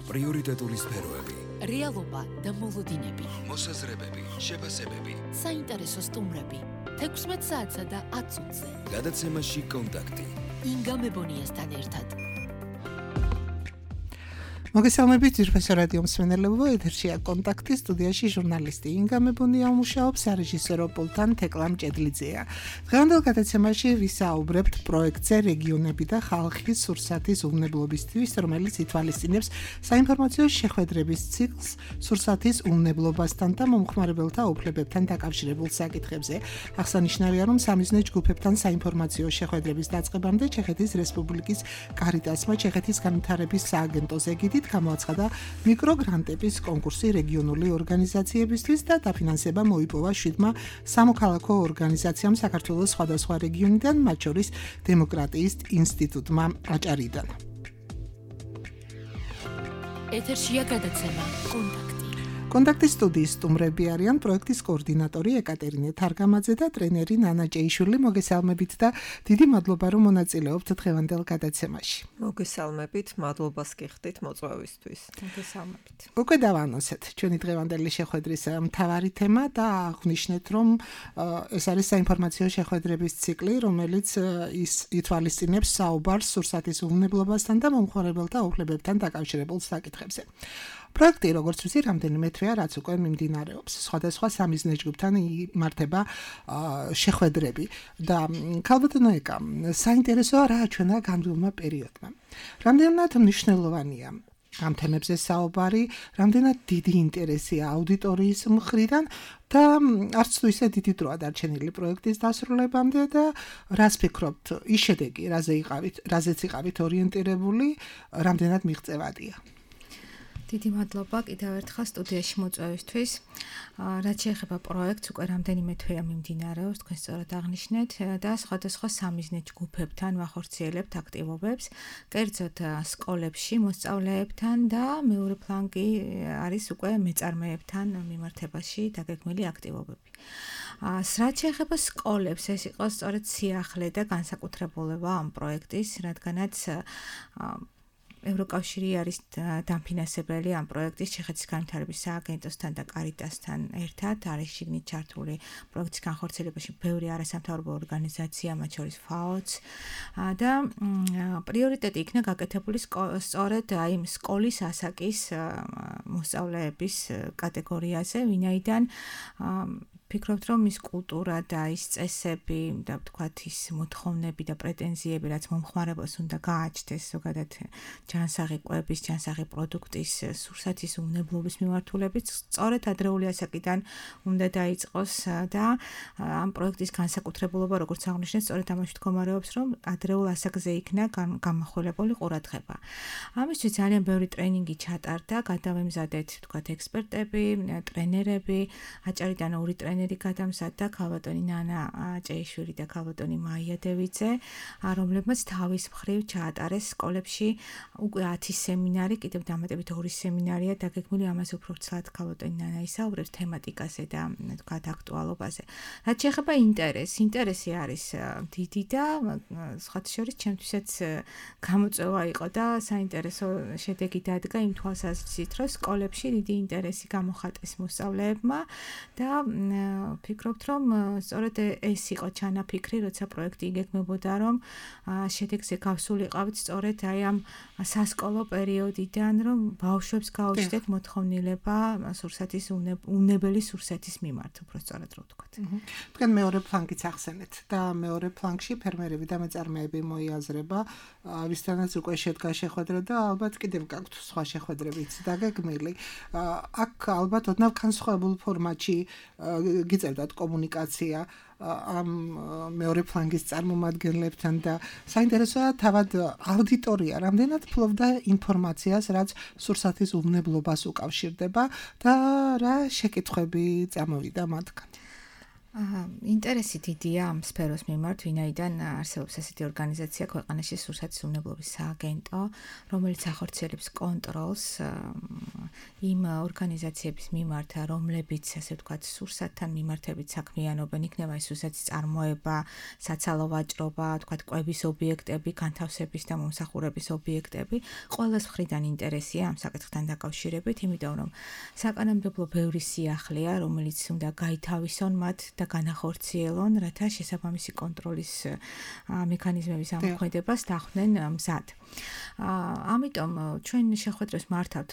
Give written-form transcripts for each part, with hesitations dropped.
პრიორიტეტული სფეროები, რეალობა და მოლოდინები, მოსაზრებები, შეფასებები, საინტერესო სტუმრები, 16 საათსა და 10 წუთზე. გადაცემაში კონტაქტი. ინგა მებონიასთან ერთად. მოგესალმებით ძვირფასო რადიო მსმენელებო, ეთერშია კონტაქტი, სტუდიაში ჟურნალისტი ინგა მებონია მუშაობს, სარეჟისორო პულტთან თეკლა მჭედლიძეა. დღევანდელ გადაცემაში ვისაუბრებთ პროექტზე რეგიონები და ხალხის სურსათის უვნებლობისთვის, რომელიც ითვალისწინებს საინფორმაციო შეხვედრების ციკლს სურსათის უვნებლობასთან და მომხმარებელთა უფლებებთან დაკავშირებულ საკითხებზე. აღსანიშნავია, რომ სამიზნე ჯგუფებთან საინფორმაციო შეხვედრების დაწყებამდე ჩეხეთის რესპუბლიკის კარიტასმა ჩეხეთის განვითარების სააგენტოს ეგიდით გამოაცხადა მიკროგრანტების კონკურსი რეგიონული ორგანიზაციებისთვის და დაფინანსება მოიპოვა 7 სამოქალაქო ორგანიზაციამ საქართველოს სხვადასხვა რეგიონიდან, მათ შორის დემოკრატიის ინსტიტუტმა აჭარიდან. ეთერშია გადაცემა კონტაქტი. კონტაქტის სტუდიის სტუმრები არიან პროექტის კოორდინატორი ეკატერინე თარგამაძე და ტრენერი ნანა ჭეიშვილი. მოგესალმებით და დიდი მადლობა, რომ მონაწილეობთ დღევანდელ გადაცემაში. მოგესალმებით, მადლობას გიხდით მოწვევისთვის. მოგესალმებით. უკვე დავანონსეთ ჩვენი დღევანდელი შეხვედრის მთავარი თემა და აღვნიშნეთ, რომ ეს არის საინფორმაციო შეხვედრების ციკლი, რომელიც ითვალისწინებს საუბარს სურსათის უვნებლობასთან და მომხმარებელთა უფლებებთან დაკავშირებულ საკითხებზე. პროექტი, როგორც ვიცი, რამდენიმე თვეა, რაც უკვე მიმდინარეობს. სხვადასხვა სამიზნე ჯგუფთან იმართება შეხვედრები და ქალბატონო ეკა, საინტერესოა რა ჩვენა განვლილმა პერიოდმა. რამდენად მნიშვნელოვანია ამ თემებზე საუბარი, რამდენად დიდი ინტერესია აუდიტორიის მხრიდან და არც თუ ისე დიდი დროა დარჩენილი პროექტის დასრულებამდე და რას ფიქრობთ, ის შედეგი, რაზეც იყავით ორიენტირებული, რამდენად მიღწევადია? დიდი მადლობა კიდევ ერთხელ სტუდიაში მოწვევისთვის. რაც შეეხება პროექტს, უკვე რამდენიმე თვეა მიმდინარეობს, თქვენ სწორად აღნიშნეთ და სხვადასხვა სამიზნე ჯგუფებთან ვახორციელებთ აქტივობებს, კერძოდ სკოლებში მოსწავლეებთან და მეორე ფლანგი არის უკვე მეწარმეებთან მიმართებაში დაგეგმილი აქტივობები. რაც შეეხება სკოლებს, ეს იყო სწორედ სიახლე და განსაკუთრებულება ამ პროექტის, რადგანაც ევროკავშირი არის დამფინანსებელი ამ პროექტის ჩეხეთის განვითარების სააგენტოსთან და კარიტასთან ერთად, არის შიგნით ჩართული პროექტის განხორციელებაში ბევრი არასამთავრობო ორგანიზაცია, მათ შორის FAO-ც და პრიორიტეტი იქნა გაკეთებული სწორედ აი სკოლის ასაკის მოსწავლეების კატეგორიაზე, ვინაიდან ფიქრობთ, რომ ის კულტურა და ის წესები და ვთქვათ ის მოთხოვნები და პრეტენზიები, რაც მომხმარებელს უნდა გააჩნდეს ზოგადად ჯანსაღი კვების, ჯანსაღი პროდუქტის, სურსათის უვნებლობის მიმართულებით, სწორედ ადრეული ასაკიდან უნდა დაიწყოს და ამ პროექტის განსაკუთრებულობა, როგორც აღნიშნეთ, სწორედ ამაში მდგომარეობს, რომ ადრეულ ასაკზე იქნა გამახვილებული ყურადღება. ამისთვის ძალიან ბევრი ტრენინგი ჩატარდა, გადავემზადეთ, ვთქვათ, ექსპერტები, ტრენერები, აჭარიდან ორი ტრენერი გადამზადდა ქალბატონი ნანა ჭეიშვილი და ქალბატონი მაია დევიძე, რომლებმაც თავის მხრივ ჩაატარეს სკოლებში უკვე 10 სემინარი, კიდევ დამატებით 2 სემინარია დაგეგმილი, ამაზე უფრო ცალად ქალბატონი ნანა ისაუბრებს თემატიკაზე და ვთქვათ აქტუალობაზე. რაც შეეხება ინტერესი არის დიდი და სხვათა შორის ჩემთვისაც გამოწვევა იყო და საინტერესო შედეგი დადგა იმ თვალსაზრისით, რომ სკოლებში დიდი ინტერესი გამოხატეს მოსწავლეებმა და ფიქრობთ, რომ სწორედ ეს იყო ჩანაფიქრი, როცა პროექტი იგეგმებოდა, რომ შედეგზე გავსულიყავით სწორედ აი ამ სასკოლო პერიოდიდან, რომ ბავშვებს გაუჩნდეთ მოთხოვნილება სურსათის უნებელი სურსათის მიმართ, უფრო სწორად რო ვთქვათ. თქვენ მეორე ფლანგიც ახსენეთ და მეორე ფლანგში ფერმერები და მეწარმეები მოიაზრება, ვისთანაც უკვე შედგა შეხვედრა და ალბათ კიდევ გაქვთ სხვა შეხვედრებიც დაგეგმილი. აქ ალბათ ოდნავ განსხვავებულ ფორმატში გიწევდათ კომუნიკაცია ამ მეორე ფლანგის წარმომადგენლებთან და საინტერესოა თავად აუდიტორია რამდენად ფლობდა ინფორმაციას, რაც სურსათის უვნებლობას უკავშირდება და რა შეკითხვები წამოვიდა მათგან. ინტერესი დიდია ამ სფეროს მიმართ, ვინაიდან არსებობს ასეთი ორგანიზაცია ქვეყანაში სურსათის უვნებლობის სააგენტო, რომელიც ახორციელებს კონტროლს იმ ორგანიზაციების მიმართ, რომლებიც ასე ვთქვათ, სურსათთან მიმართებით საქმიანობენ, იქნება ეს სურსათის წარმოება, საცალო ვაჭრობა, ვთქვათ, კვების ობიექტები, განთავსების და მომსახურების ობიექტები, ყველას მხრიდან ინტერესია ამ საკითხთან დაკავშირებით, იმიტომ რომ საკანონმდებლო ბევრი სიახლეა, რომელიც უნდა გაითავისონ მათ და განახორციელონ, რათა შესაბამისი კონტროლის მექანიზმების ამოქმედებას დახვდნენ მზად. ამიტომ ჩვენ შეხვედრებს მართავთ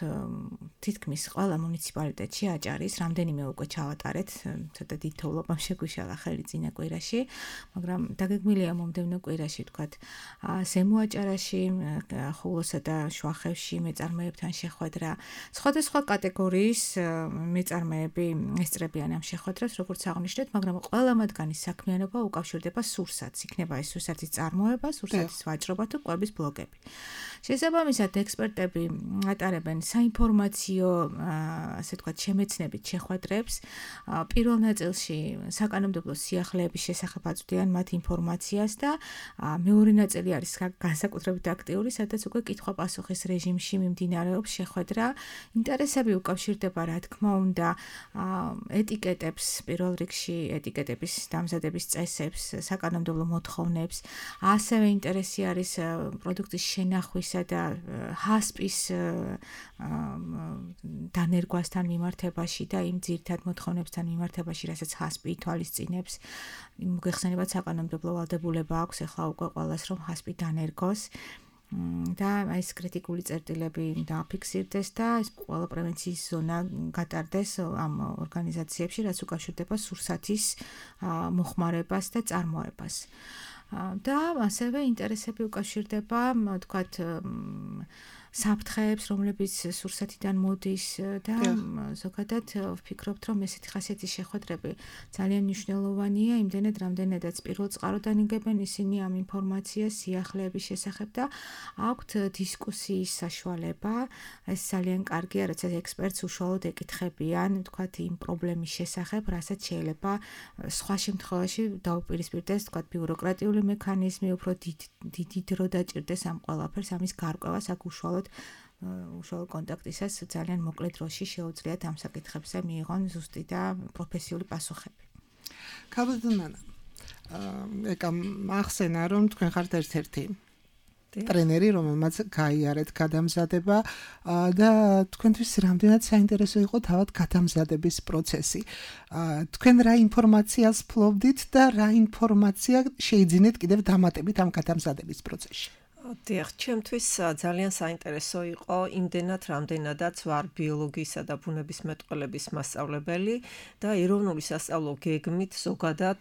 თითქმის ყველა მუნიციპალიტეტში აჭარის, რამდენიმე უკვე ჩავატარეთ, ცოტა დიდთოვლობამ შეგვიშალა ხელი წინა კვირაში, მაგრამ დაგეგმილია მომდევნო კვირაში, ვთქვათ, ზემო აჭარაში, ხულოსა და შუახევში მეწარმეებთან შეხვედრა. სხვადასხვა კატეგორიის მეწარმეები ესწრებიან ამ შეხვედრებს, როგორც აღნიშნეთ, მაგრამ ყველა მათგანის საქმიანობა უკავშირდება სურსათს. იქნება ეს სურსათის წარმოება, სურსათის ვაჭრობა თუ კვების ბლოკები. შესაბამისად, ექსპერტები ატარებენ საინფორმაციო, ასე ვთქვათ, შემეცნებით შეხვედრებს. პირველ ნაწილში საკანონმდებლო სიახლეების შესახებ აწვდიან მათ ინფორმაციას და მეორე ნაწილი არის განსაკუთრებით აქტიური, სადაც უკვე კითხვა-პასუხის რეჟიმში მიმდინარეობს შეხვედრა. ინტერესები უკავშირდება, რა თქმა უნდა, ეტიკეტებს, პირველ რიგში ეტიკეტების დამზადების წესებს, საკანონმდებლო მოთხოვნებს. ასევე ინტერესი არის პროდუქტის შენახვისა და ჰასპის დანერგვასთან მიმართებაში და იმ ძირითად მოთხოვნებთან მიმართებაში, რასაც ჰასპი ითვალისწინებს. მოგეხსენებათ, საკანონმდებლო ვალდებულება აქვს ახლა უკვე ყველას, რომ ჰასპი დანერგოს. და ეს კრიტიკული წერტილები დააფიქსირდეს და ეს ყველა პრევენციის ზონა გატარდეს ამ ორგანიზაციებში, რაც უკავშირდება სურსათის მოხმარებას და წარმოებას. და ასევე ინტერესები უკავშირდება, ვთქვათ, საფრთხეებს, რომლებიც სურსათიდან მოდის და ზოგადად ვფიქრობთ, რომ ესეთი ხასიათის შეხვედრები ძალიან მნიშვნელოვანია, იმდენად, რამდენადაც პირველ წყაროდან იგებენ ისინი ამ ინფორმაციას სიახლეების შესახებ და აქვთ დისკუსიის საშუალება. ეს ძალიან კარგია, რაც ექსპერტს უშუალოდ ეკითხებიან, ვთქვათ, იმ პრობლემის შესახებ, რასაც შეიძლება სხვა შემთხვევაში დაუპირისპირდეს, ვთქვათ, ბიუროკრატიული მექანიზმი, უფრო დიდი დრო დაჭირდეს ამ ყველაფერს, ამის გარკვევას აქ უშუალოდ კონტაქტისას ძალიან მოკლე დროში შეუძლიათ ამ საკითხებზე მიიღონ ზუსტი და პროფესიული პასუხები. ქალბატონო, ეკა ახსენა, რომ თქვენ ხართ ერთ-ერთი ტრენერი, რომელმაც გაიარეთ გადამზადება და თქვენთვის რამდენად საინტერესო იყო თავად გადამზადების პროცესი. თქვენ რა ინფორმაციას ფლობდით და რა ინფორმაცია შეიძინეთ კიდევ დამატებით ამ გადამზადების პროცესში? დიახ, ჩემთვის ძალიან საინტერესო იყო იმდენად, რამდენადაც ვარ ბიოლოგიისა და ბუნებისმეტყველების მასწავლებელი და ეროვნული სასწავლო გეგმით ზოგადად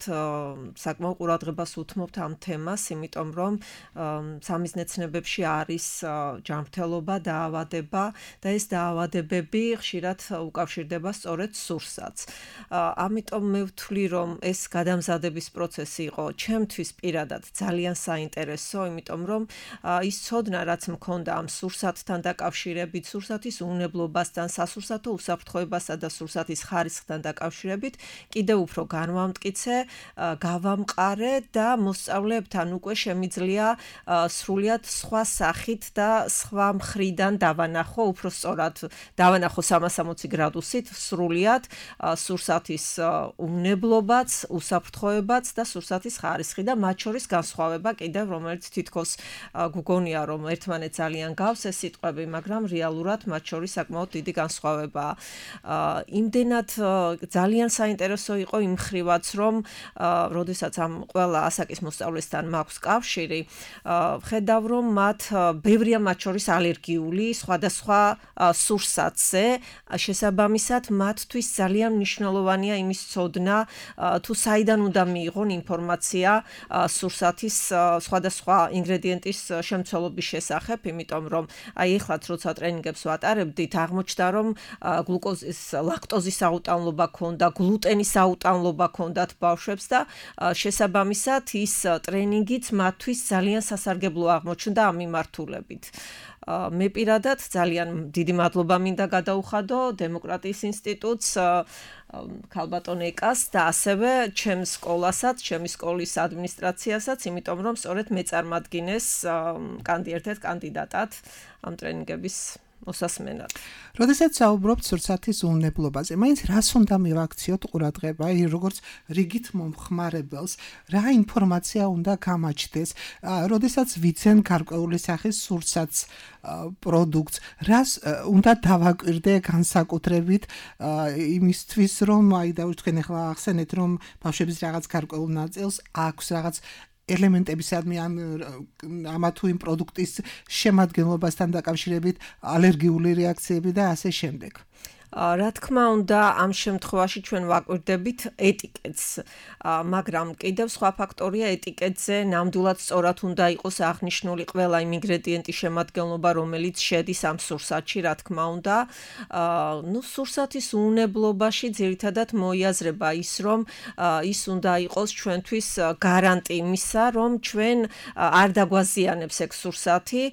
საკმაო ყურადღებას უთმობთ ამ თემას, იმიტომ რომ სამიზნეცნებებში არის ჯანმრთელობა, დაავადება და ეს დაავადებები ხშირად უკავშირდება სწორედ სურსათს. ამიტომ მე ვთვლი, რომ ეს გადამზადების პროცესი იყო ჩემთვის პირადად ძალიან საინტერესო, იმიტომ რომ ის ცოდნა, რაც მქონდა ამ სურსათთან დაკავშირებით, სურსათის უნებლობასთან, სასურსათო უსაფრთხოებასა და სურსათის ხარისხთან დაკავშირებით, კიდევ უფრო განვამტკიცე, გავამყარე და მოსწავლეებთან უკვე შემიძლია სრულიად სხვა სახით და სხვა მხრიდან დავანახო, უფრო სწორად დავანახო 360 გრადუსით სრულიად სურსათის უნებლობაც, უსაფრთხოებაც და სურსათის ხარისხი და მათ შორის განსხვავება კიდევ, რომელიც თითქოს გუგონია, რომ ერთმანეთს ძალიან გავს ეს სიტყვები, მაგრამ რეალურად მათ შორის საკმაოდ დიდი განსხვავებაა. იმდენად ძალიან საინტერესო იყო იმ მხრივაც, რომ როდესაც ამ ყველა ასაკის მოსწავლესთან მაქვს კავშირი, ხედავ, რომ ბევრია მათ შორის ალერგიული სხვადასხვა სურსათზე, შესაბამისად მათთვის ძალიან მნიშვნელოვანია იმის ცოდნა, თუ საიდან უნდა მიიღონ ინფორმაცია სურსათის სხვადასხვა ინგრედიენტის შემცველობის შესახებ, იმიტომ რომ ეხლაც როცა ტრენინგებს ვატარებდით, აღმოჩნდა, რომ გლუკოზის, ლაქტოზის აუტანლობა ქონდა, გლუტენის აუტანლობა ქონდათ ბავშვებს და შესაბამისად ის ტრენინგიც მათთვის ძალიან სასარგებლო აღმოჩნდა ამ მიმართულებით. მე პირადად ძალიან დიდი მადლობა მინდა გადაუხადო დემოკრატიის ინსტიტუტს, ქალბატონ ეკას და ასევე ჩემს სკოლასაც, ჩემი სკოლის ადმინისტრაციასაც, იმიტომ რომ სწორედ მე წარმადგინეს ერთ-ერთ კანდიდატად ამ ტრენინგების მოსასმენად. როდესაც საუბრობთ სურსათის უნებლობაზე, მაინც რას უნდა მივაქციოთ ყურადღება, როგორც რიგით მომხმარებელს, რა ინფორმაცია უნდა გამაჩნდეს, როდესაც ვიცენ გარკვეული სახის სურსათს პროდუქტს, რას უნდა დავაკვირდე განსაკუთრებით იმისთვის, რომ თქვენ ახლა ახსენეთ, რომ ბავშვების რაღაც გარკვეულ ნაწილს აქვს რაღაც ელემენტებისადმი ამა თუ იმ პროდუქტის შემადგენლობასთან დაკავშირებით ალერგიული რეაქციები და ასე შემდეგ. რა თქმა უნდა, ამ შემთხვევაში ჩვენ ვაკვირდებით ეტიკეტს, მაგრამ კიდევ სხვა ფაქტორია ეტიკეტზე ნამდვილად სწორად უნდა იყოს აღნიშნული ყველა იმ ინგრედიენტის შემადგენლობა, რომელიც შედის ამ სურსათში, რა თქმა უნდა. სურსათის უნებლობაში ძირითადად მოიაზრება ის, რომ ის უნდა იყოს ჩვენთვის გარანტი იმისა, რომ ჩვენ არ დაგვაზიანებს ეგ სურსათი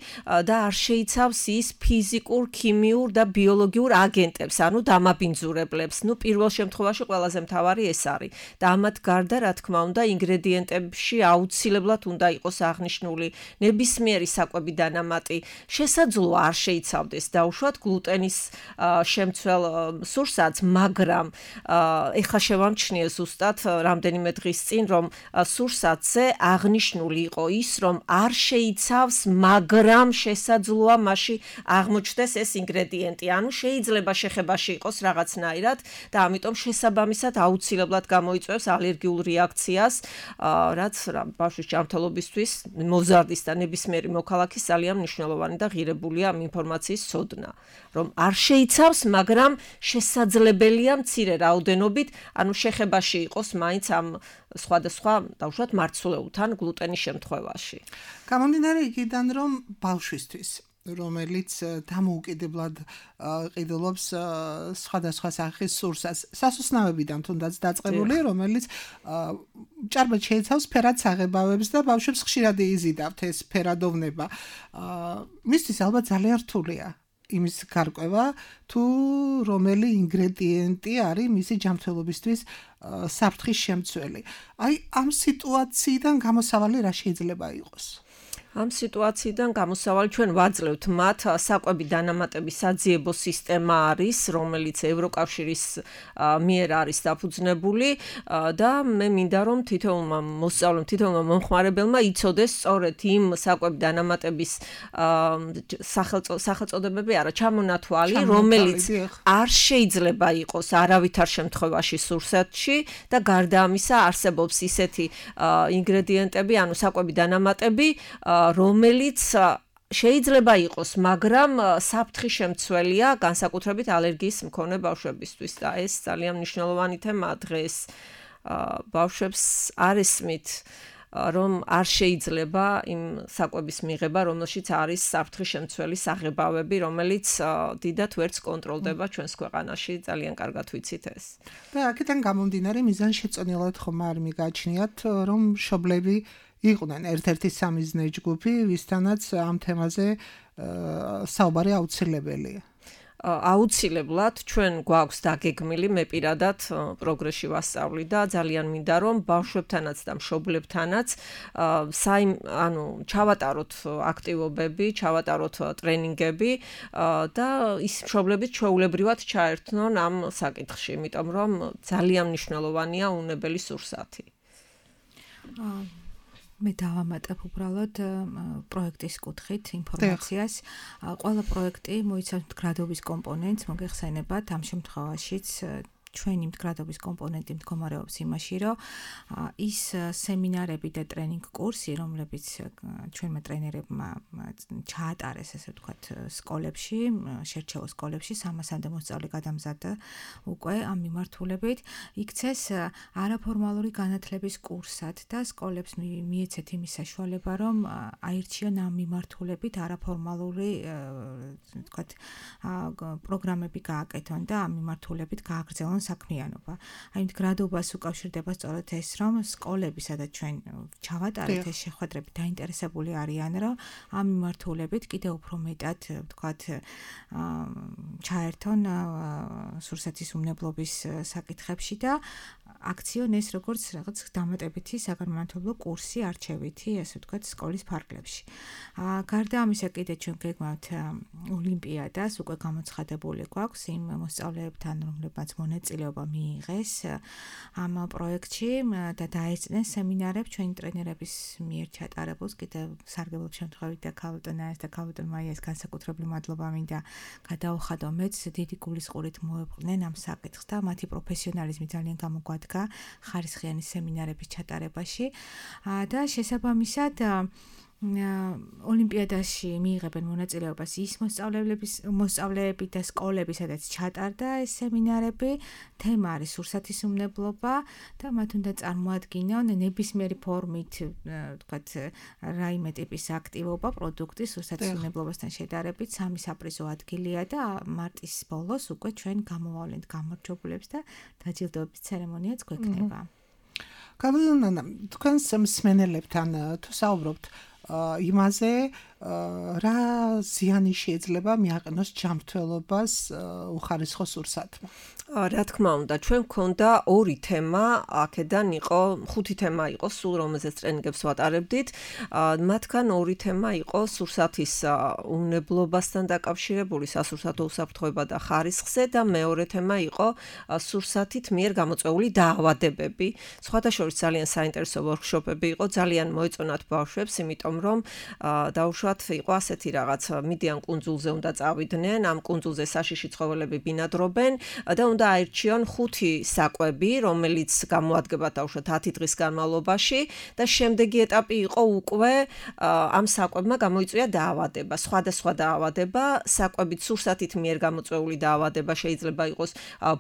და არ შეიცავს ის ფიზიკურ, ქიმიურ და ბიოლოგიურ აგენტებს. ანუ დამაბინძურებლებს. პირველ შემთხვევაში ყველაზე მთავარი ეს არის. და ამათ გარდა, რა თქმა უნდა, ინგრედიენტებში აუცილებლად უნდა იყოს აღნიშნული ნებისმიერი საკვები დანამატი. შესაძლოა არ შეიცავდეს დაუშვათ გლუტენის შემცველ სურსათს, მაგრამ ეხლა შევამჩნიე ზუსტად რამდენიმე დღის წინ, რომ სურსათზე აღნიშნული იყო ის, რომ არ შეიცავს, მაგრამ შესაძლოა მასში აღმოჩნდეს ეს ინგრედიენტი. ანუ შეიძლება შეხება იყოს რაღაცნაირად და ამიტომ შესაბამისად აუცილებლად გამოიწვევს ალერგიულ რეაქციას, რაც ბავშვის ჯანმრთელობისთვის მოზარდის და ნებისმიერი მოქალაქის ძალიან მნიშვნელოვანი და ღირებულია ამ ინფორმაციის ცოდნა, რომ არ შეიცავს, მაგრამ შესაძლებელია მცირე რაოდენობით, ანუ შეხებაში იყოს მაინც ამ სხვადასხვა დავუშვათ მარცვლეულთან გლუტენის შემთხვევაში. გამომდინარე იქიდან, რომ ბავშვისთვის რომელიც დამოუკიდებლად ყიდულობს სხვადასხვა სახის სურსათს, სასუსნავებიდან თუნდაც დაწყებული, რომელიც ჭარბად შეიცავს ფერად საღებავებს და ბავშვებს ხშირად იზიდავთ ეს ფერადოვნება. მისთვის ალბათ ძალიან რთულია იმის გარკვევა, თუ რომელი ინგრედიენტი არის მისი ჯანმრთელობისთვის საფრთხის შემცველი. ამ სიტუაციიდან გამოსავალი რა შეიძლება იყოს? ამ სიტუაციიდან გამოსავალი ჩვენ ვაძლევთ მათ საკვები დანამატების საძიებო სისტემა არის, რომელიც ევროკავშირის მიერ არის დაფუძნებული და მე მინდა რომ თითოეულმა მოსწავლემ, თითოეულმა მომხმარებელმა იცოდეს სწორედ იმ საკვები დანამატების სახელწოდებები არა, ჩამონათვალი, რომელიც არ შეიძლება იყოს არავითარ შემთხვევაში სურსათში და გარდა ამისა არსებობს ისეთი ინგრედიენტები, ანუ საკვები დანამატები, რომელიც შეიძლება იყოს, მაგრამ საფრთხის შემცველია განსაკუთრებით ალერგიის მქონე ბავშვებისთვის და ეს ძალიან მნიშვნელოვანი თემაა დღეს. ბავშვებს არ ესმით, რომ არ შეიძლება იმ საკვების მიღება, რომელშიც არის საფრთხის შემცველი საღებავები, რომელიც დიდად ვერც კონტროლდება ჩვენს ქვეყანაში, ძალიან კარგად ვიცით ეს. და აქედან გამომდინარე მიზანშეწონილად ხომ არ მიგაჩნიათ, რომ მშობლები იყვნენ ერთ-ერთი სამიზნე ჯგუფი, ვისთანაც ამ თემაზე საუბარი აუცილებელია. აუცილებლად ჩვენ გვაქვს დაგეგმილი, მე პირადად პროგრესში ვასწავლი და ძალიან მინდა რომ ბავშვებთანაც და მშობლებთანაც ჩავატაროთ აქტივობები, ჩავატაროთ ტრენინგები და ის მშობლები ჩვეულებრივად ჩაერთნონ ამ საკითხში, იმიტომ რომ ძალიან მნიშვნელოვანია უნებელი სურსათი. მე დავამატებ უბრალოდ პროექტის კუთხით ინფორმაციას. ყველა პროექტი მოიცავს მდგრადობის კომპონენტს, მოგეხსენებათ ამ შემთხვევაშიც ჩვენი მდგრადობის კომპონენტი მდგომარეობს იმაში, რომ ის სემინარები და ტრენინგ კურსი, რომლებიც ჩვენმა ტრენერებმა ჩაატარეს, ესე ვთქვათ, სკოლებში, შერჩეულ სკოლებში, 300-მდე მოსწავლე გადამზადდა უკვე ამ მიმართულებით, იქცეს არაფორმალური განათლების კურსად და სკოლებს მიეცეთ იმის საშუალება, რომ აირჩიონ ამ მიმართულებით არაფორმალური, ვთქვათ, პროგრამები გააკეთონ და ამ მიმართულებით გააგრძელონ საქმიანობა. აი მდგრადობას უკავშირდება სწორედ ეს, რომ სკოლები, სადაც ჩვენ ჩავატარეთ ეს შეხვედრები, დაინტერესებული არიან, რომ ამ მიმართულებით კიდევ უფრო მეტად, ვთქვათ, ჩაერთონ სურსათის უმნებლობის საკითხებში და აქციონეს როგორც რაღაც დამატებითი საგანმანათლებლო კურსი არჩევითი, ასე ვთქვათ, სკოლის ფარგლებში. გარდა ამისა, კიდე ჩვენ გეგმავთ ოლიმპიადას, უკვე გამოცხადებული გვაქვს იმ მოსწავლეებთან, რომლებმაც მონაწილეობა მიიღეს ამ პროექტში და დაეწნენ სემინარებს ჩვენი ტრენერების მიერ ჩატარებულს, კიდევ სარგებლობ შემთხვევით და ქალბატონას და ქალბატონ მაიას განსაკუთრებული მადლობა მინდა გადაუხადო მეც, დიდი გულისყურით მოეყვნენ ამ საკითხს და მათი პროფესიონალიზმი ძალიან გამოგვადგა ხარისხიანი სემინარების ჩატარებაში და შესაბამისად ოლიმპიადაში მიიღებენ მონაწილეობას ის მოსწავლეები და სკოლები, სადაც ჩატარდა ეს სემინარები, თემა არის სურსათისმნებლობა და მათ უნდა წარმოადგინონ ნებისმიერი ფორმით, ვთქვათ, რაიმე ტიპის აქტივობა, პროდუქტი სურსათისმნებლობასთან შედარებით 3 საპრიზო ადგილია და მარტის ბოლოს უკვე ჩვენ გამოვავლენთ გამარჯვებულებს და დაჯილდოების ცერემონიაც გვექნება. კაბლანა, თქვენს მსმენელებთან თუ საუბრობთ იმაზე, რა ზიანი შეიძლება მიაყენოს ჯანმრთელობას უხარისხო სურსათმა. რა თქმა უნდა, ჩვენ გქონდა 2 თემა, აქედან იყო 5 თემა იყო, სულ რომელზეც ტრენინგებს ვატარებდით. მათგან 2 თემა იყო სურსათის უნებლობასთან დაკავშირებული, სასურსათო უსაფრთხოება და ხარისხზე და მეორე თემა იყო სურსათით მიერ გამოწვეული დაავადებები. სხვადასხვა ძალიან საინტერესო ვორქშოპები იყო, ძალიან მოეწონათ ბავშვებს, იმიტომ რომ დაუშვათ იყო ასეთი რაღაც, მიდიან კუნძულზე უნდა წავიდნენ, ამ კუნძულზე საშიში ცხოველები ბინადრობენ და უნდა აირჩიონ 5 საკვები, რომელიც გამოადგება დაუშვათ 10 დღის განმავლობაში და შემდეგი ეტაპი იყო უკვე ამ საკვებმა გამოიწვია დაავადება, სხვადასხვა დაავადება, საკვებით სურსათით მიერ გამოწვეული დაავადება შეიძლება იყოს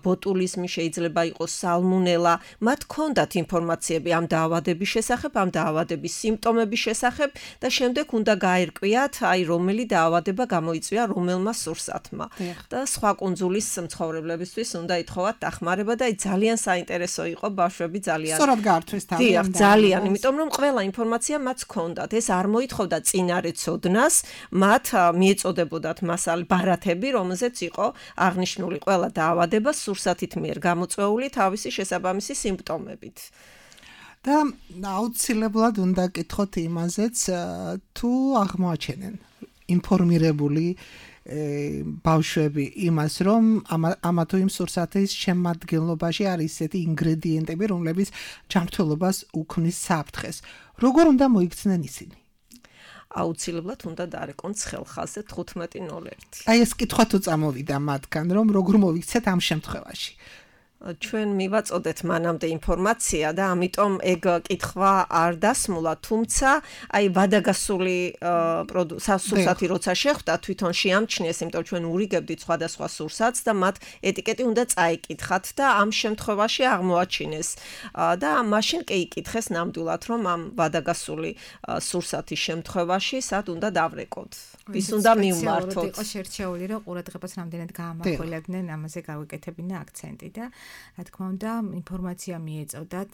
ბოტულიზმი, შეიძლება იყოს სალმონელა, მათ ჰქონდათ ინფორმაციები ამ დაავადების შესახებ, ამ დაავადების სიმპტომების შესახებ და შემდეგ უნდა გაერკვიათ, აი რომელი დაავადება გამოიწვია რომელმა სურსათმა. და სხვა კუნძულის მცხოვრებლებისთვის უნდა ითხოვათ დახმარება და ძალიან საინტერესო იყო, ბავშვები ძალიან სწორად გაართვეს თავი. ძალიან, იმიტომ რომ ყველა ინფორმაცია მათ ჰქონდათ. ეს არ მოითხოვდა წინარე ცოდნას, მათ მიეწოდებოდათ მასალ ბარათები, რომელზეც იყო აღნიშნული ყველა დაავადება სურსათით მიერ გამოწვეული თავისი შესაბამისი სიმპტომებით. და აუცილებლად უნდა კითხოთ იმაზეც, თუ აღმოაჩენენ ინფორმირებული ბავშვები იმას, რომ ამა თუ იმ სურსათის შემადგენლობაში არის ისეთი ინგრედიენტები, რომლებიც ჯანმრთელობას უქმნის საფრთხეს. როგორ უნდა მოიქცნენ ისინი? აუცილებლად უნდა დარეკონ ცხელხაზზე 15:01. აი ეს კითხვა თუ წამოვიდა მათგან, რომ როგორ მოიქცეთ ამ შემთხვევაში? ჩვენ მივაწოდეთ მანამდე ინფორმაცია და ამიტომ ეგ კითხვა არ დასმულა, თუმცა აი ვადაგასული სურსათი როცა შეხვდა, თვითონ შეამჩნიეს, იმიტომ ჩვენ ურიგებდით სხვადასხვა სურსათს და მათ ეტიკეტი უნდა წაიკითხათ და ამ შემთხვევაში აღმოაჩინეს და მაშინ კი იკითხეს ნამდვილად, რომ ამ ვადაგასული სურსათის შემთხვევაში სად უნდა დავრეკოთ. ვის უნდა მივმართოთ. იყო შერჩეული, რომ ყურადღებას რამდენად გაამახვილებდნენ, ამაზე გავიკეთებინა აქცენტი და რა თქმა უნდა, ინფორმაცია მიეწოდათ,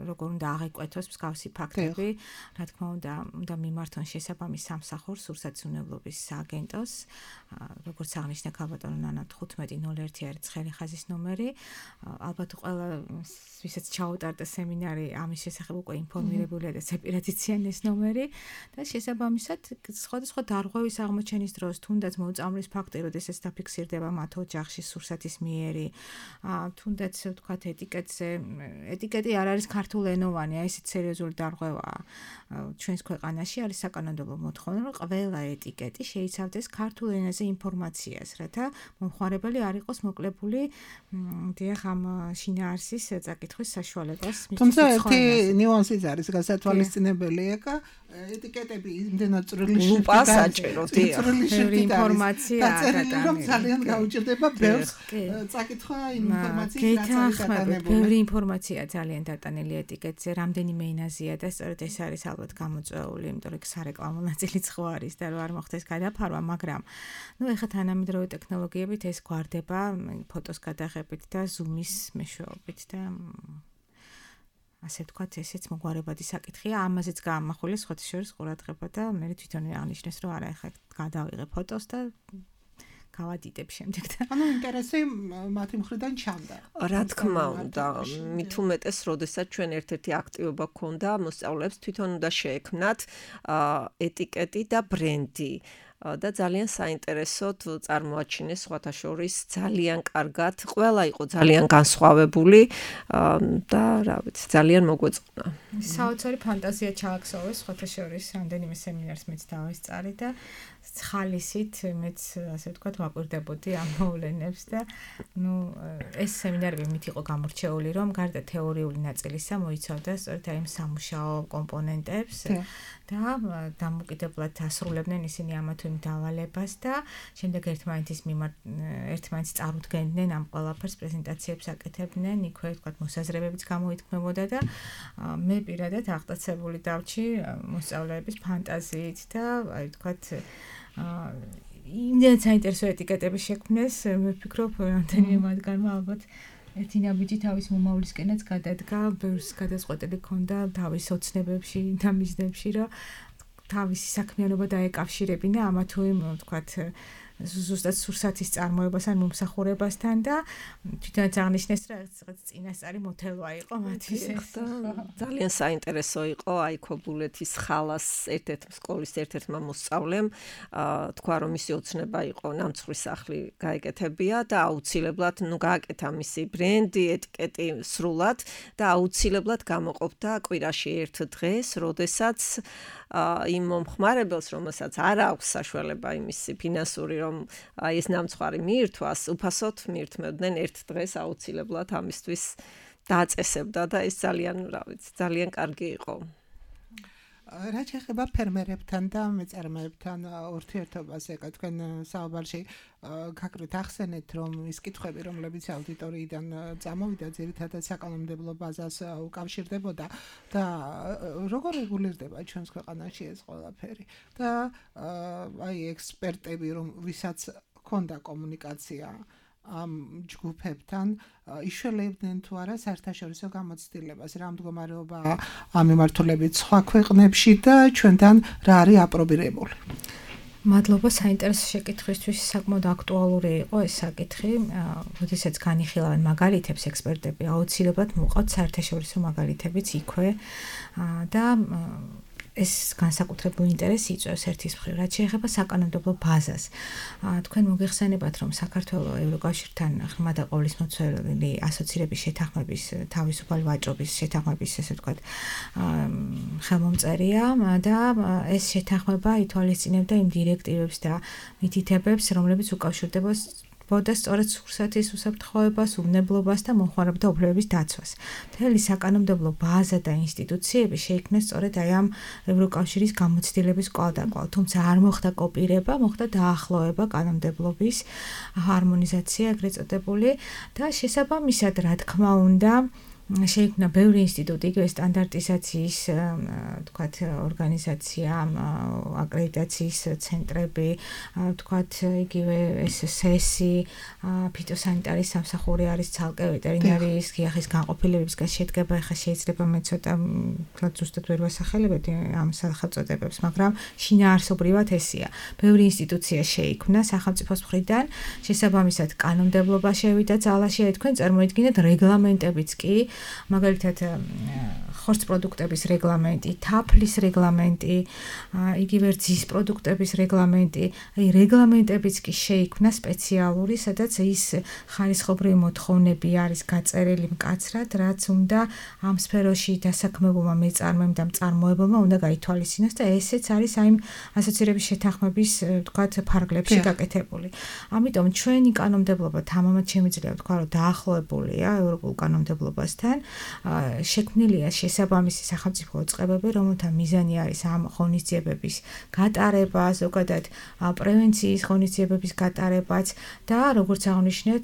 როგორ უნდა აღიკვეთოს მსგავსი ფაქტები, რა თქმა უნდა მიმართონ შესაბამის სამსახურს, სურსათისმნებლობის სააგენტოს, როგორც აღნიშნა ქალბატონო ნანა 15:01 არის ცხელი ხაზის ნომერი. ალბათ ყველა ვისაც ჩაუტარდა სემინარი, ამის შესახებ უკვე ინფორმირებულია და სეპირატიციან ეს ნომერი და შესაბამისად სხვადასხვა დარღვევის აღმოჩენის დროს, თუნდაც მოუწამვლის ფაქტი, როდესაც დაფიქსირდება მათ ოჯახში სურსათის მიერი, თუნდაც ვთქვათ ეტიკეტი არ არის ქართულენოვანი, აი ესეთ სერიოზული დარღვევაა. ჩვენს ქვეყანაში არის საკანონმდებლო მოთხოვნა, რომ ყველა ეტიკეტი შეიცავდეს ქართულ ენაზე ინფორმაციას, რათა მომხმარებელი არ იყოს მოკლებული დიახ ამ შინაარსის წაკითხვის საშუალებას. თუმცა ერთი ნიუანსიც არის გასათვალისწინებელი, ეკა ეტიკეტები იმდენად წვრილი ლუპას აჭეროთ, წვრილი ინფორმაცია დაწერილი, რომ ძალიან გაუჭირდება ბევრს წაკითხვა იმ ინფორმაციის ბევრი ინფორმაცია ძალიან დატანილი ეტიკეტზე, რამდენიმე ენაზეა და სწორედ ეს არის ალბათ გამოწვეული, იმიტომ რომ სარეკლამო ნაწილიც ხო არის და რომ არ მოხდეს გადაფარვა, მაგრამ ეხლა თანამედროვე ტექნოლოგიებით ეს გვარდება ფოტოს გადაღებით და ზუმის მეშვეობით და ასე ვთქვათ, ესეც მოგვარებადი საკითხია, ამაზეც გაამახვილეს სხვათა შორის ყურადღება და მე თვითონვე აღნიშნეს, რომ არა, ეხლა გადავიღე ფოტოს და გავადიდებ შემდეგ და ანუ ინტერესი მათი მხრიდან ჩანდა. რა თქმა უნდა, მით უმეტეს, როდესაც ჩვენ ერთ-ერთი აქტივობა გქონდა, მოსწავლეებს თვითონ უნდა შეექმნათ ეტიკეტი და ბრენდი. და ძალიან საინტერესოდ წარმოაჩინეს სხვათა შორის ძალიან კარგად, ყველა იყო ძალიან განსხვავებული და რა ვიცი, ძალიან მოგვეწყნა. საოცარი ფანტაზია ჩააქსოვეს სხვათა შორის რამდენიმე სემინარს მეც დავესწარი და ხალისით მეც ასე ვთქვათ ვაკვირდებოდი ამ მოვლენებს და ეს სემინარები მით იყო გამორჩეული, რომ გარდა თეორიული ნაწილისა მოიცავდა სწორედ აი სამუშაო კომპონენტებს და დამოკიდებლად ასრულებდნენ ისინი ამა თუ იმ დავალებას და შემდეგ ერთმანეთს წარუდგენდნენ ამ ყველაფერს პრეზენტაციებს აკეთებდნენ, იქვე ვთქვათ მოსაზრებებიც გამოითქმებოდა და მე პირადად აღტაცებული დავჭი მოსწავლეების ფანტაზიით და აი ვთქვათ იმდენად საინტერესო ეტიკეტები შექმნეს, მე ვფიქრობ, რამდენიმე მათგანმა ალბათ ერთი ნაბიჯი თავის მომავლისკენაც გადადგა, ბევრს გადაწყვეტილი ჰქონდა თავის ოცნებებში და მიზნებში, რომ თავისი საქმიანობა დაეკავშირებინა ამა თუ იმ, ვთქვათ, ზუსტად სურსათის წარმოებას ან მომსახურებასთან და თვითონაც აღნიშნეს, რომ რაღაც წინასწარი მოთელვა იყო მათთვის. ძალიან საინტერესო იყო აი ქობულეთის ხალას სკოლის ერთ-ერთმა მოსწავლემ თქვა, რომ მისი ოცნება იყო ნამცხვრის სახლი გაეკეთებია და აუცილებლად გააკეთა მისი ბრენდი, ეტიკეტი სრულად და აუცილებლად გამოყოფდა კვირაში ერთ დღეს, როდესაც იმ მომხმარებელს, რომელსაც არ აქვს საშუალება იმისი ფინანსური, რომ ეს ნამცხვარი მიირთვას, უფასოდ მიირთმევდნენ ერთ დღეს აუცილებლად ამისთვის დააწესებდა და ეს ძალიან კარგი იყო. რა შეეხება ფერმერებთან და მეწარმეებთან ურთიერთობას, ეკა თქვენ საუბარში გაკრით ახსენეთ, რომ ის კითხვები, რომლებიც აუდიტორიიდან წამოვიდა, ძირითადად საკანონმდებლო ბაზას უკავშირდებოდა და როგორ რეგულირდება ჩვენს ქვეყანაში ეს ყველაფერი და აი ექსპერტები, ვისაც ჰქონდა კომუნიკაცია ამ ჯგუფებთან იშველებდნენ თუ არა საერთაშორისო გამოცდილებას, რა მდგომარეობაა ამ მიმართულებით სხვა ქვეყნებში და ჩვენთან რა არის აპრობირებული. მადლობა საინტერესო შეკითხვისთვის, საკმაოდ აქტუალური იყო ეს საკითხი, როდესაც განიხილავენ მაგალითებს ექსპერტები, აუცილებლად მოყავთ საერთაშორისო მაგალითებიც იქვე და ეს განსაკუთრებული ინტერესი იწვევს ერთის მხრივ, რაც შეეხება საკანონმდებლო ბაზას. თქვენ მოგეხსენებათ, რომ საქართველოს ევროკავშირთან ღრმა და ყოვლისმომცველი ასოცირების შეთანხმების თავისუფალი ვაჭრობის შეთანხმების ესე ვთქვათ ხელმომწერია და ეს შეთანხმება ითვალისწინებდა იმ დირექტივებს და მითითებებს, რომლებიც უკავშირდება სწორედ სურსათის უსაფრთხოებას, უბნებლობას და მომხმარებელთა უფლებების დაცვას. მთელი საკანონმდებლო ბაზა და ინსტიტუციები შეიქმნეს სწორედ აი ამ ევროკავშირის გამოცდილების კვალდაკვალ. თუმცა არ მოხდა კოპირება, მოხდა დაახლოება კანონმდებლობის ჰარმონიზაცია ეგრეთ წოდებული და შესაბამისად, რა თქმა უნდა, შეიქმნა ბევრი ინსტიტუტი, იგივე სტანდარტიზაციის, ვთქვათ, ორგანიზაცია, აკრედიტაციის ცენტრები, ვთქვათ, იგივე SSS-ი, ფიტოსანიტარიის სამსახური არის ცალკე ვეტერინარიის გიახის განყოფილებებისგან შედგება, ეხლა შეიძლება მე ცოტა ზუსტად ვერ ვასახელებდი ამ სახელწოდებებს, მაგრამ შინაარსობრივად ესია. ბევრი ინსტიტუცია შეიქმნა სახელმწიფოს მხრიდან, შესაბამისად კანონმდებლობა შევიდა ძალაში, თქვენ წარმოიდგინეთ რეგლამენტებიც კი მაგალითად ხორცს პროდუქტების რეგლამენტი, თაფლის რეგლამენტი, იგივე რძის პროდუქტების რეგლამენტი, აი რეგლამენტებიც კი შეიქმნა სპეციალური, სადაც ის ხარისხობრივი მოთხოვნები არის გაწერილი მკაცრად, რაც უნდა ამ სფეროში დასაქმებულმა მეწარმემ და მწარმოებელმა უნდა გაითვალისწინოს და ესეც არის აი ასოცირების შეთანხმების, ვთქვათ, ფარგლებში გაკეთებული. ამიტომ ჩვენი კანონმდებლობა თამამად შემიძლია ვთქვა, რომ დაახლოებულია ევროპულ კანონმდებლობასთან, შექმნილია შესაბამისი სახელმწიფო წყებები, რომელთა მიზანი არის ამ ღონისძიებების გატარება, ზოგადად პრევენციის ღონისძიებების გატარებაც და როგორც აღნიშნეთ,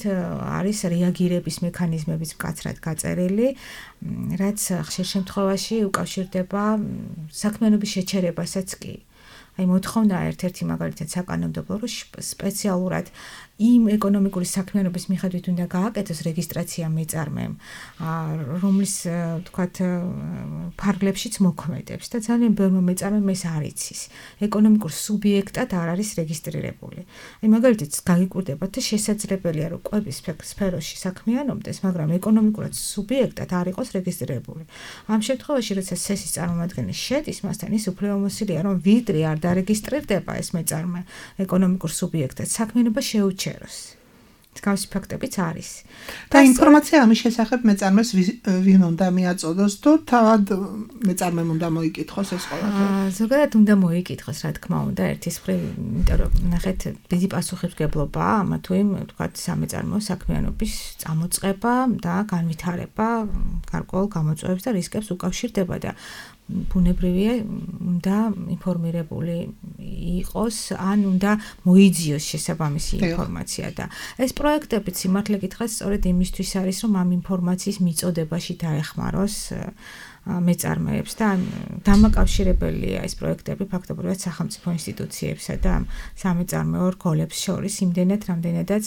არის რეაგირების მექანიზმებიც მკაცრად გაწერილი, რაც ხშირ შემთხვევაში უკავშირდება საქმიანობის შეჩერებასაც კი. აი მოთხოვნა ერთ-ერთი მაგალითად საკანონმდებლო, რომ სპეციალურად იმ ეკონომიკური საქმიანობის მიხედვით უნდა გააკეთოს რეგისტრაცია მეწარმემ, რომლის თქვათ ფარგლებშიც მოქმედებს და ძალიან ბევრმა მეწარმემ ეს არ იცის. ეკონომიკურ სუბიექტად არ არის რეგისტრირებული. აი მაგალითად გაგიკვირდებათ და შესაძლებელია რომ კვების სფეროში საქმიანობდეს, მაგრამ ეკონომიკურად სუბიექტად არ იყოს რეგისტრირებული. ამ შემთხვევაში, როცა სესის წარმომადგენელი შედის მასთან, ის უფრო მოსილია რომ ვიდრე არ დარეგისტრირდება ეს მეწარმე ეკონომიკურ სუბიექტად, საქმიანობა შეუჩეროს. Მსგავსი ფაქტებიც არის. და ინფორმაცია ამის შესახებ მეწარმეს ვინ უნდა მიაწოდოს თუ თავად მეწარმემ უნდა მოიკითხოს ეს ყველაფერი? ზოგადად უნდა მოიკითხოს, რა თქმა უნდა, ერთის მხრივ, იმიტომ რომ ნახეთ, დიდი პასუხისმგებლობაა ამა თუ იმ, თქვათ, სამეწარმეო საქმიანობის წამოწყება და განვითარება გარკვეულ გამოწვევებს და რისკებს უკავშირდება და ბუნებრივია უნდა ინფორმირებული იყოს, ან უნდა მოიძიოს შესაბამისი ინფორმაცია და ეს პროექტები სიმართლე გითხრათ სწორედ იმისთვის არის, რომ ამ ინფორმაციის მიწოდებაში დაეხმაროს მეწარმეებს და დამაკავშირებელია ეს პროექტები ფაქტობრივად სახელმწიფო ინსტიტუციებსა და სამეწარმეო რგოლებს შორის იმდენად, რამდენადაც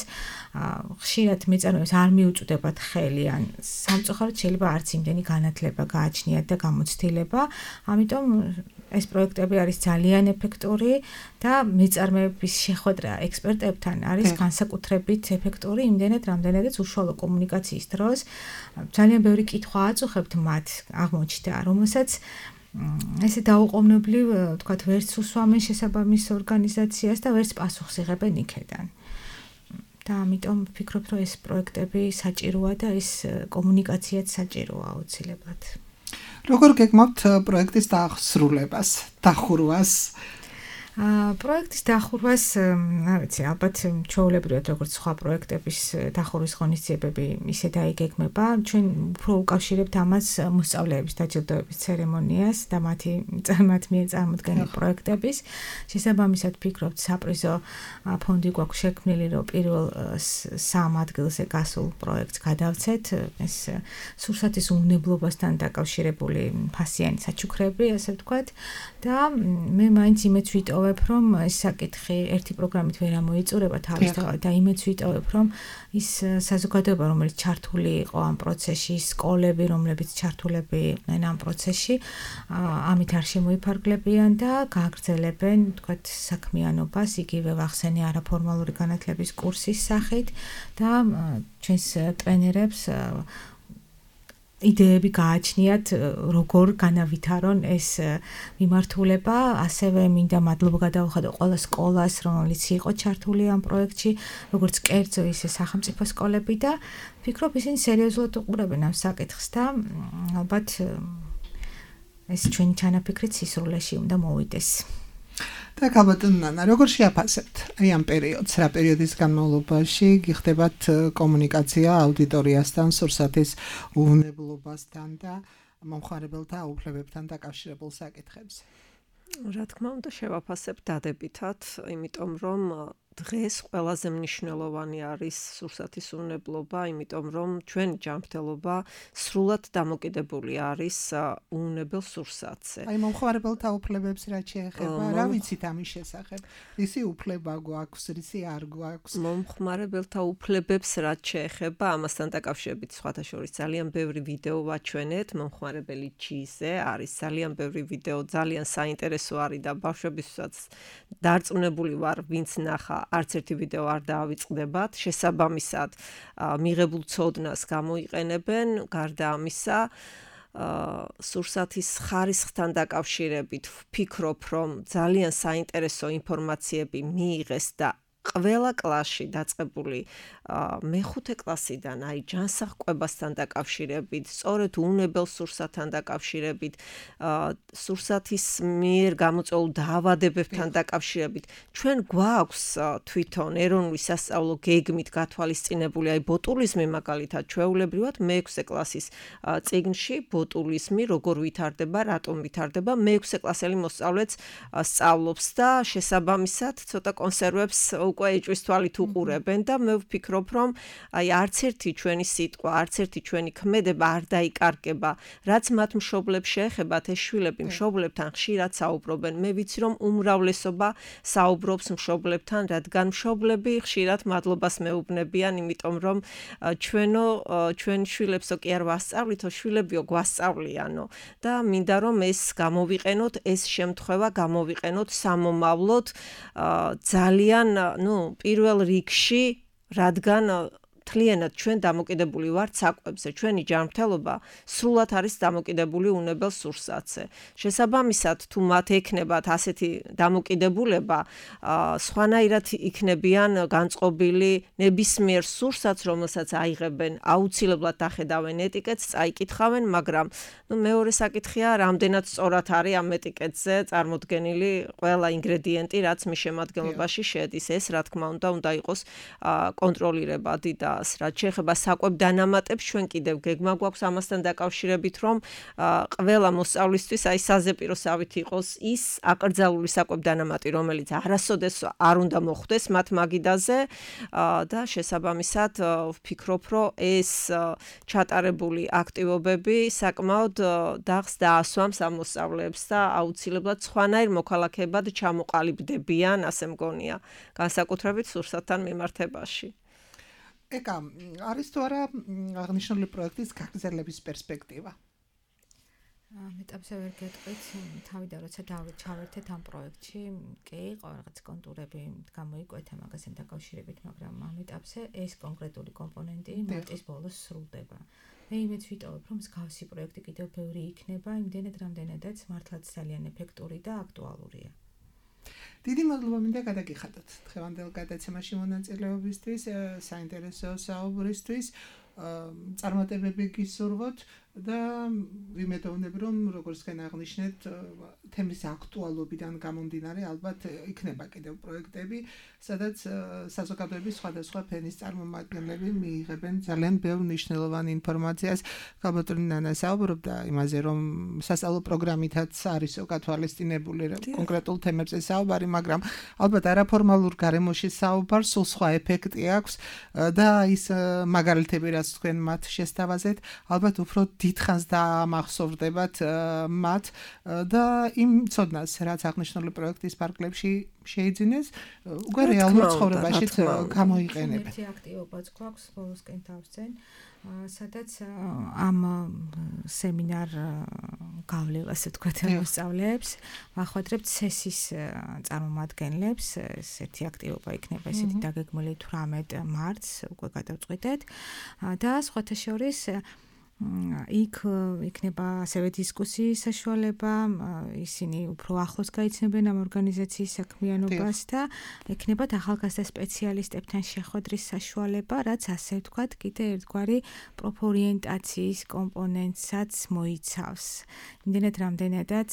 ხშირად მეწარმეებს არ მიუწვდებათ ხელი ან სამწუხაროდ შეიძლება არც იმდენი განათლება გააჩნიათ და გამოცდილება, ამიტომ ეს პროექტები არის ძალიან ეფექტური და მეწარმეების შეხვედრა ექსპერტებთან არის განსაკუთრებით ეფექტური იმდენად, რამდენადაც უშუალო კომუნიკაციის დროს ძალიან ბევრი კითხვა აწუხებთ მათ აღმოჩნდა, რომელსაც ესე დაუყოვნებლივ, თქვათ, ვერც უსვამენ შესაბამის ორგანიზაციას და ვერც პასუხს იღებენ იქედან. და ამიტომ ვფიქრობ, რომ ეს პროექტები საჭიროა და ეს კომუნიკაციაც საჭიროა აუცილებლად. როგორ გეგმავთ პროექტის დასრულებას, დახურვას? პროექტის დახურვას, არ ვიცი, ალბათ ჩვეულებრივად როგორც სხვა პროექტების დახურვის ღონისძიებები ისე დაიგეგმება. ჩვენ უფრო უკავშირებთ ამას მოსწავლეების დაჯილდოების ცერემონიას და მათ მიერ წარმოდგენილ პროექტების. შესაბამისად ვფიქრობთ, საპრიზო ფონდი გვაქვს შექმნილი, რომ პირველ 3 ადგილზე გასულ პროექტს გადავცეთ. ეს სურსათის უნებლობასთან დაკავშირებული ფასიანი საჩუქრები, ასე ვთქვათ, და მე მაინც იმეც ვიტოვებ, რომ ეს საკითხი ერთი პროგრამით ვერ ამოიწურება თავისთავად და იმეც ვიტოვებ, რომ ის საზოგადოება, რომელიც ჩართული იყო ამ პროცესში, სკოლები, რომლებიც ჩართულები იყვნენ ამ პროცესში, ამით არ შემოიფარგლებიან და გააგრძელებენ, თქვათ, საქმიანობას, იგივე ვახსენე არაფორმალური განათლების კურსის სახით და ჩვენს ტრენერებს იდეები გააჩნიათ, როგორ განავითარონ ეს მიმართულება, ასევე მინდა მადლობა გადავუხადო ყველა სკოლას, რომელიც იყო ჩართული ამ პროექტში, როგორც კერძო, ისე სახელმწიფო სკოლები და ვფიქრობ, ისინი სერიოზულად უყურებენ ამ საკითხს და ალბათ ეს ჩვენი ჩანაფიქრით სისრულეში უნდა მოვიდეს. და გაბატონ ნანა, როგორ შეაფასებთ აი ამ პერიოდს, რა პერიოდის განმავლობაში გიხდებათ კომუნიკაცია აუდიტორიასთან, სურსათის უვნებლობასთან და მომხმარებელთა უფლებებთან დაკავშირებულ საკითხებზე? რა თქმა უნდა, შევაფასებ დადებითად, იმიტომ რომ დღეს ყველაზე მნიშვნელოვანი არის სურსათის უვნებლობა, იმიტომ რომ ჩვენი ჯანმრთელობა სრულად დამოკიდებული არის უვნებელ სურსათზე. აი მომხმარებელთა უფლებებს რაც შეეხება, რა ვიცით ამის შესახებ? რისი უფლება გვაქვს, რისი არ გვაქვს? მომხმარებელთა უფლებებს რაც შეეხება, ამასთან დაკავშირებით სხვათა შორის ძალიან ბევრი ვიდეო ვაჩვენეთ მომხმარებელი G-ზე, არის ძალიან ბევრი ვიდეო, ძალიან საინტერესო არის და ბავშვებისაც დარწმუნებული ვარ, ვინც ნახა არც ერთი ვიდეო არ დაავიწყდებათ, შესაბამისად მიღებულ ცოდნას გამოიყენებენ, გარდა ამისა სურსათის ხარისხთან დაკავშირებით ვფიქრობ, რომ ძალიან საინტერესო ინფორმაციები მიიღეს და ყველა კლასში დაწყებული მეხუთე კლასიდან აი ჯანსაღყვებასთან დაკავშირებით, სწორედ უვნებელ სურსათთან დაკავშირებით, სურსათის მიერ გამოწვეულ დაავადებებთან დაკავშირებით, ჩვენ გვაქვს თვითონ ეროვნული სასწავლო გეგმით გათვალისწინებული აი ბოტულიზმი მაგალითად ჩვეულებრივად მე-6 კლასის წიგნში ბოტულიზმი როგორ ვითარდება, რატომ ვითარდება, მე-6 კლასელი მოსწავლეც სწავლობს და შესაბამისად ცოტა კონსერვებს უკვე ეჭვის თვალით უყურებენ და მე ვფიქრობ, რომ აი არც ერთი ჩვენი სიტყვა, არც ერთი ჩვენი ქმედება არ დაიკარგება. რაც მათ მშობლებს შეეხებათ, ეს შვილები მშობლებთან ხშირად საუბრობენ. მე ვიცი, რომ უმრავლესობა საუბრობს მშობლებთან, რადგან მშობლები ხშირად მადლობას მეუბნებიან, იმიტომ რომ ჩვენ შვილებსო კი არ ვასწავლითო, შვილებიო გვასწავლიანო და მინდა რომ ეს გამოვიყენოთ, ეს შემთხვევა გამოვიყენოთ სამომავლოდ ძალიან, პირველ რიგში, რადგან თლიანად ჩვენ დამოკიდებული ვართ საკვებზე. ჩვენი ჯანმრთელობა სრულად არის დამოკიდებული უნებელ სურსათზე. შესაბამისად, თუ მათ ექნებათ ასეთი დამოკიდებულება, სხვანაირად იქნებიან განწყობილი ნებისმიერ სურსათს, რომელსაც აიღებენ, აუცილებლად დახედავენ ეტიკეტს, წაიკითხავენ, მაგრამ მეორე საკითხია, რამდენად სწორად არის ამ ეტიკეტზე წარმოდგენილი ყველა ინგრედიენტი, რაც მის შემადგენლობაში შედის. ეს, რა თქმა უნდა იყოს კონტროლირებადი და რაც შეეხება საკვებ დანამატებს, ჩვენ კიდევ გეგმა გვაქვს ამასთან დაკავშირებით, რომ ყველა მოსწავლისთვის აი საზეპიროსავით იყოს ის აკრძალული საკვებ დანამატი, რომელიც არასოდეს არ უნდა მოხვდეს მათ მაგიდაზე და შესაბამისად ვფიქრობ, რომ ეს ჩატარებული აქტივობები საკმაოდ დახს დაასვამს ამ მოსწავლეებს და აუცილებლად სხვანაირ მოქალაქეებად ჩამოყალიბდებიან, ასე მგონია, განსაკუთრებით სურსათთან მიმართებაში. ეკა, არის თუ არა აღნიშნული პროექტის გაგრძელების პერსპექტივა? მეტაბსე ვერ გეტყვით, თავიდან როცა ჩავერთეთ ამ პროექტში, კი, რაღაც კონტურები გამოიკვეთა მაგასთან დაკავშირებით, მაგრამ ამ ეტაპზე ეს კონკრეტული კომპონენტი მარტის ბოლოს სრულდება. მე იმედს ვიტოვებ, რომ მსგავსი პროექტი კიდევ ბევრი იქნება, იმდენად რამდენადაც მართლაც ძალიან ეფექტური და აქტუალურია. დიდი მადლობა მინდა გადაგიხადოთ დღევანდელ გადაცემაში მონაწილეობისთვის, საინტერესო საუბრისთვის, წარმატებები გისურვოთ და ვიმედოვნებ, რომ როგორც თქვენ აღნიშნეთ, თემის აქტუალობიდან გამომდინარე, ალბათ იქნება კიდევ პროექტები, სადაც საზოგადოების სხვადასხვა ფენის წარმომადგენლები მიიღებენ ძალიან ბევრ მნიშვნელოვან ინფორმაციას. ქალბატონი ნანა საუბრობდა იმაზე, რომ სასწავლო პროგრამითაც არის გათვალისწინებული კონკრეტულ თემებზე საუბარი, მაგრამ ალბათ არაფორმალურ გარემოში საუბარს სულ სხვა ეფექტი აქვს და ის მაგალითები, რაც თქვენ მათ შესთავაზეთ, ალბათ უფრო დიდხანს დაამახსოვრდებათ მათ და იმ ცოდნას, რაც აღნიშნული პროექტის პარკლებში შეიძინეს, უკვე რეალურ ცხოვრებაში გამოიყენებენ. ერთი აქტივობაც გვაქვს ბოლოსკენ თავსწენ, სადაც ამ სემინარ გავლევას ვთქვათ მოსწავლეებს, ვახვედრებთ CES-ის წარმომადგენლებს, ერთი აქტივობა იქნება ესეთი დაგეგმილი 18 მარტს, უკვე გადავწყვიტეთ და სხვათა შორის იქ იქნება ასევე დისკუსიის საშუალება, ისინი უფრო ახლოს გაიცნობენ ამ ორგანიზაციის საქმიანობას და ექნებათ ახალგაზრდა სპეციალისტებთან შეხვედრის საშუალება, რაც ასე ვთქვათ, კიდე ერთგვარი პროფორიენტაციის კომპონენტსაც მოიცავს. იმდენად რამდენადაც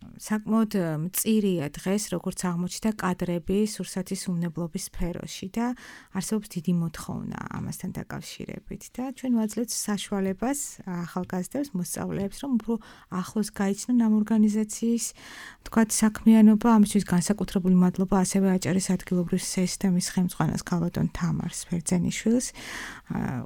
საკმაოდ მწირია დღეს, როგორც აღმოჩნდა კადრები სურსათის უმნებლობის სფეროში და არსებობს დიდი მოთხოვნა ამასთან დაკავშირებით და ჩვენ ვაძლევთ საშუალებას ახალგაზრდებს, მოსწავლეებს, რომ უფრო ახლოს გაიცნონ ამ ორგანიზაციის, თქვათ, საქმიანობა. ამისთვის განსაკუთრებული მადლობა ასევე აჭარის ადგილობრივ სისტემის ხელმძღვანელს ქალბატონ თამარ სფერძენიშვილს,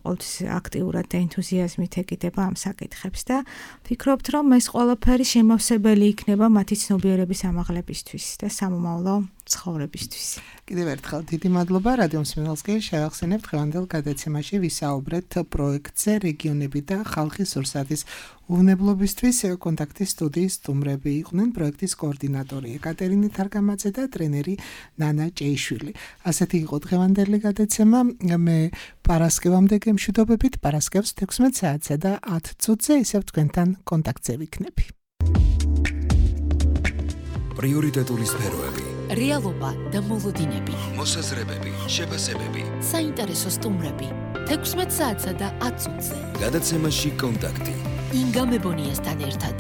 ყოველთვის აქტიურად და ენთუზიაზმით ეკიდება ამ საკითხებს და ვფიქრობთ, რომ ეს ყველაფერი შემავსებელი იქნება მათი ცნობიერების ამაღლებისთვის და სამომავლო ცხოვრებისთვის. კიდევ ერთხელ დიდი მადლობა რადიო მსმენელს კი შევახსენებთ დღევანდელ გადაცემაში ვისაუბრეთ პროექტზე რეგიონები და ხალხის სურსათის უვნებლობისთვის. კონტაქტის სტუდიის სტუმრები იყვნენ პროექტის კოორდინატორი ეკატერინე თარგამაძე და ტრენერი ნანა ჭეიშვილი. ასეთი იყო დღევანდელი გადაცემა. მე პარასკევამდე გემშვიდობებით, პარასკევს 16 საათსა და 10 წუთზე ისევ თქვენთან კონტაქტზე ვიქნები. პრიორიტეტული სფეროები, რეალობა და მოლოდინები, მოსაზრებები, შეფასებები, საინტერესო სტუმრები 16 საათსა და 10 წუთზე. გადაცემაში კონტაქტი. ინგა მებონიასთან ერთად.